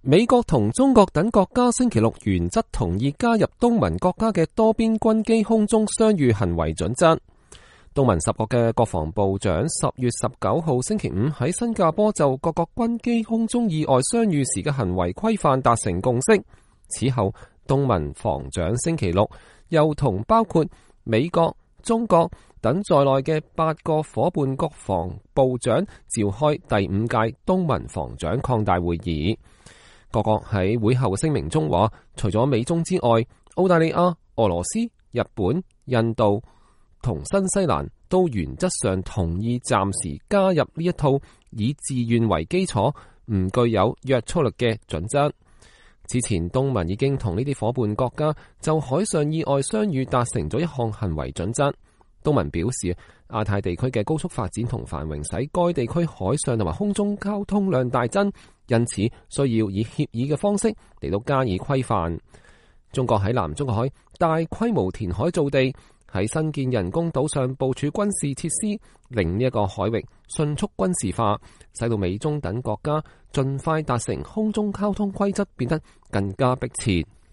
美國同中國等國家星期六原則同意加入東盟國家嘅多邊軍機空中相遇行為準則。東盟10國嘅國防部長10月19號星期五喺新加坡就各國軍機空中意外相遇時嘅行為規範達成共識。此後，東盟防長星期六又同包括美國、中國等在內嘅8個夥伴國防部長召開第5屆東盟防長擴大會議。各國喺會後聲明中話，除咗美中之外，澳大利亞、俄羅斯、日本、印度同新西蘭都原則上同意暫時加入呢一套以自願為基礎、唔具有約束力嘅準則。此前，東盟已經同呢啲夥伴國家就海上意外相遇達成咗一項行為準則。東盟表示，亞太地區嘅高速發展同繁榮使該地區海上同埋空中交通量大增，因此需要以協議嘅方式嚟到加以規範。中國喺南中國海大規模填海造地，喺新建人工島上部署軍事設施，令呢一個海域迅速軍事化，使到美中等國家盡快達成空中交通規則變得更加迫切。